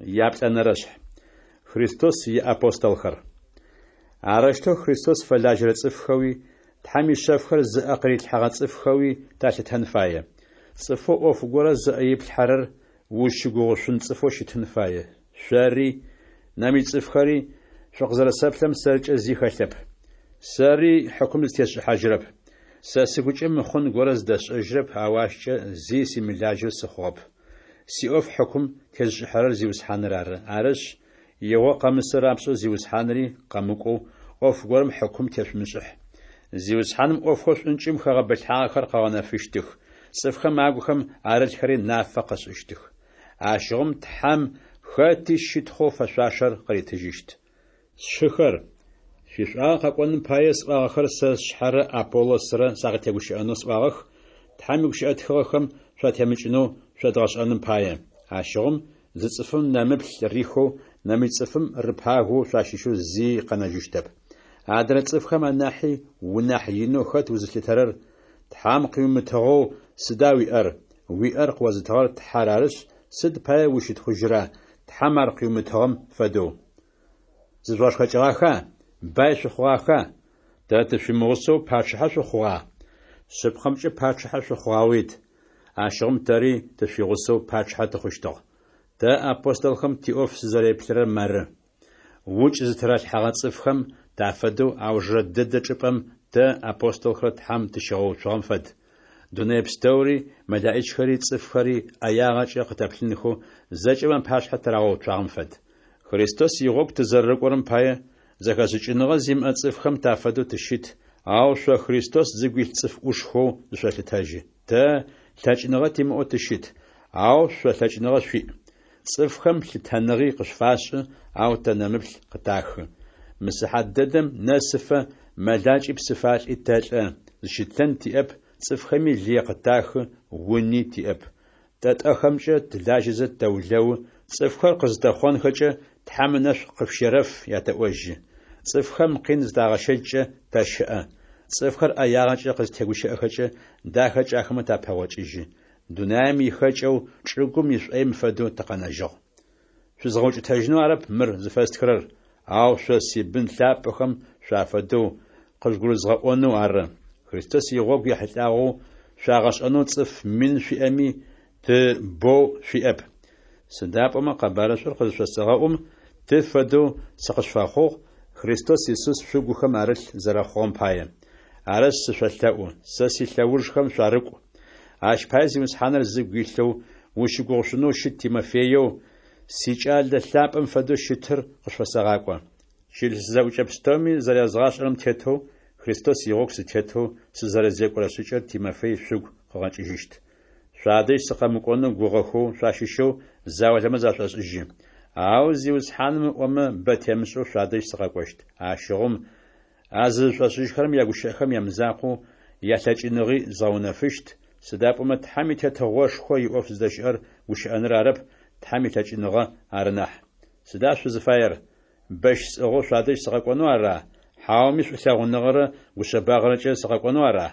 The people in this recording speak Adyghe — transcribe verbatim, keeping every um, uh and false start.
Яплӏэнэрэшъхь. Христос иапостолхэр. Арэущтэу Христос фэлажьэрэ цӏыфхэуи, Тхьэм ишъэфхэр зыӏэ къырилъхьэгъэ цӏыфхэуи талъытэн фае. Цӏыфэу ӏоф горэ зыӏэ иплъхьэрэр узщыгугъышъун цӏыфэу щытын фае. Шъори, нэмыкӏ цӏыфхэри шъукъызэрэсэплъырэм сэркӏэ зи хэлъэп. Сэри хьыкум зытесшӏыхьажьырэп. Сэ сыгукӏэ мыхъун горэ зыдэсшӏэжьырэп, ау ащкӏэ зи симылажьэу сыхъугъэп. Сиӏоф хьыкум тезышӏыхьэрэр Зиусхьаныр ары. Арышъ, игъо къэмысы рапшӏэу Зиусхьанри къэмыкӏоу, ӏоф горэм хьыкум тешъумышӏыхь. Зиусхьаным ӏофхэу шӏункӏым хэгъэбылъхьагъэхэр къыгъэнэфыщтых, цӏыфхэм агухэм арылъхэри нафэ къышӏыщтых. Ащыгъум Тхьэм хэти щытхъоу фэшъуашэр къыритыжьыщт. Сшыхэр, шъуишӏуагъэ къэкӏоным пае, сӏуагъэхэр сэ сшъхьэрэ Аполлосрэ сакъытегущыӏэнэу сӏуагъэх, Тхьэм игущыӏэ тхыгъэхэм шъуатемыкӏынэу шъодгъэшӏэным пае. Ащыгъум зы цӏыфым нэмыплъ рихэу, нэмыкӏ цӏыфым рыпагэу шъуащыщэу зи къэнэжьыщтэп. Адрэ цӏыфхэм анахьи унахь инэу хэт узылъытэрэр? Тхьэм къыуимытыгъэу сыда уиӏэр? Уиӏэр къыозытыгъэр Тхьэр арышъ, сыд пае узщытхъужьыра, Тхьэм ар къыуимытыгъэм фэдэу? Зыжъугъэшхэкӏыгъаха? Бай шъухъугъаха? Тэ тышъуимыгъусэу пачъыхьэ шъухъугъа? Шъыпкъэмкӏэ пачъыхьэ шъухъугъаует. Ащыгъум тэри тышъуигъусэу пачъыхьэ тыхъущтыгъ. Тэ, апостолхэм, тиӏоф сызэреплъырэр мары: укӏ зытыралъхьэгъэ цӏыфхэм тафэдэу аужрэ дэдэ чӏыпӏэм тэ, апостолхэр, Тхьэм тыщигъэуцугъэм фэд. Дунэе пстэури, мэлэӏичхэри, цӏыфхэри ӏэягъэкӏэ къытэплъынхэу зэкӏэм апашъхьэ тырагъэуцуагъэм фэд. Христос игъогу тызэрэрыкӏорэм пае, зэхэшӏыкӏыныгъэ зимыӏэ цӏыфхэм тафэдэу тыщыт, ау шъо Христос зыгу илъ цӏыф ӏушхэу зышъолъытэжьы. Тэ лъэкӏыныгъэ тимыӏэу тыщыт, ау шъо лъэкӏыныгъэ шъуиӏ. Цӏыфхэм лъытэныгъи къышъуфашӏы, ау тэ нэмыплъ къытахы. Мы сыхьат дэдэм нэсыфэ мэлакӏи псыфалӏи тэлӏэ, зыщытлъэн тиӏэп, цӏыфхэми лые къытахы, уни тиӏэп. Тэ тӏэхэмкӏэ тылажьэзэ тэулэу, цӏыфхэр къызытэхъонхэкӏэ, Тхьэм ынэшӏу къышъущерэф ятэӏожьы. Цӏыфхэм къин зытагъэщэчкӏэ тэщыӏэ. Цӏыфхэр ӏэягъэкӏэ къызтегущыӏэхэкӏэ, дахэкӏэ ахэмэ тапэгъокӏыжьы. Дунаем ихэкӏэу, чӏыгум ишӏоим фэдэу тыкъэнэжьыгъ. Шъузгъэукӏытэжьынэу арэп мыр зыфэстхырэр, ау шъо сибын лъапӏэхэм шъуафэдэу къыжъугурызгъэӏонэу ары. Христос игъогу ехьылӏагъэу шъуагъэшӏэнэу цӏыф мин шъуиӏэми, ты боу шъуиӏэп. Сыда пӏомэ къэбарышӏур къызышъосэгъэӏум, ты фэдэу сыкъышъуфэхъугъ, Христос Исус шъугухэм арылъ зэрэхъугъэм пае. Арышъ, сышъолъэӏу, сэ силъэужхэм шъуарыкӏу. Ащ пае Зиусхьаныр зыгу илъэу, ущыгугъышъунэу щыт Тимофееу, сикӏалэ лъапӏэм фэдэу щытыр къышъуфэсэгъакӏо. Чылыс зэӏукӏэ пстэуми зэрязгъашӏэрэм тетэу, Христос игъогу сытетэу сызэрэзекӏорэ шӏыкӏэр Тимофей шъугу къыгъэкӏыжьыщт. Шъуадэжь сыкъэмыкӏонэу гугъэхэу шъуащыщэу заулэмэ зашӏошӏыжьы. Ау Зиусхьаным ыӏомэ, бэ темышӏэу шъуадэжь сыкъэкӏощт. Ащыгъум а зызышӏошӏыжьхэрэм ягущыӏэхэм ямызакъоу, ялъэкӏыныгъи згъэунэфыщт, сыда пӏомэ Тхьэм и Тетыгъошхо иӏоф зыдэщыӏэр гущыӏэныр арэп, Тхьэм илъэкӏыныгъэ ары нахь. Сыда шъузыфаер? Бэщ сӏыгъэу шъуадэжь сыкъэкӏонэу ара, хьауми шӏулъэгъуныгъэрэ гушъэбагъэрэкӏэ сыкъэкӏонэу ара?